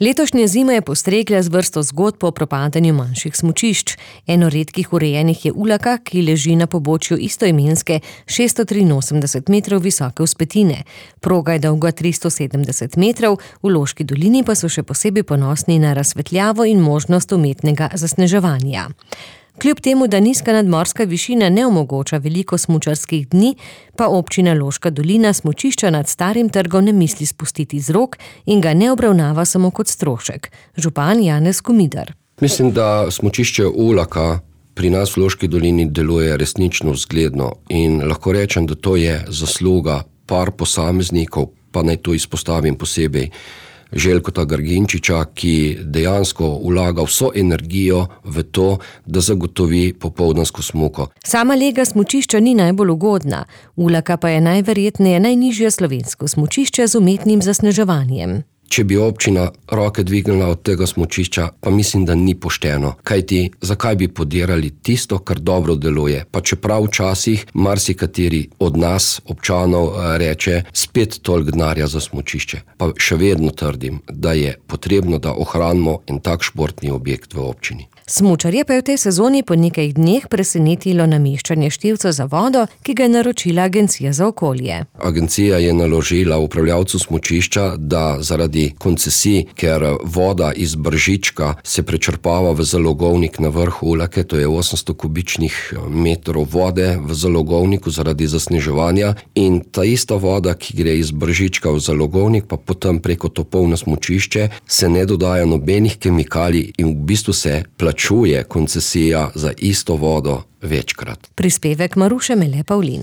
Letošnja zima je postregla z vrsto zgodb o propadanju manjših smučišč. Eno redkih urejenih je Ulaka, ki leži na pobočju istoimenske 683 metrov visoke vzpetine. Proga je dolga 370 metrov, v Loški dolini pa so še posebej ponosni na razsvetljavo in možnost umetnega zasneževanja. Kljub temu, da nizka nadmorska višina ne omogoča veliko smučarskih dni, pa občina Loška dolina smučišča nad Starim trgom ne misli spustiti z rok in ga ne obravnava samo kot strošek. Župan Janez Komidar. Mislim, da smučišče Ulaka pri nas v Loški dolini deluje resnično zgledno in lahko rečem, da to je zasluga par posameznikov, pa naj to izpostavim posebej Željkota Grginčiča, ki dejansko vlaga vso energijo v to, da zagotovi popoldansko smuko. Sama lega smučišča ni najbolj ugodna, Ulaka pa je najverjetneje najnižje slovensko smučišče z umetnim zasneževanjem. Če bi občina roke dvignila od tega smučišča, pa mislim, da ni pošteno. Kajti, zakaj bi podirali tisto, kar dobro deluje? Pa čeprav včasih marsikateri od nas, občanov, reče spet toliko denarja za smučišče. Pa še vedno trdim, da je potrebno, da ohranimo en tak športni objekt v občini. Smučarje pa je v tej sezoni po nekaj dneh presenetilo nameščanje števca za vodo, ki ga je naročila Agencija za okolje. Agencija je naložila upravljavcu smučišča, da zaradi koncesij, ker voda iz Bržička se prečrpava v zalogovnik na vrhu Ulake, to je 800 kubičnih metrov vode v zalogovniku zaradi zasneževanja, in ta ista voda, ki gre iz Bržička v zalogovnik, pa potem preko topov na smučišče, se ne dodaja nobenih kemikalij in v bistvu se plačuje koncesija za isto vodo večkrat. Prispevek Maruše Mele Pavlin.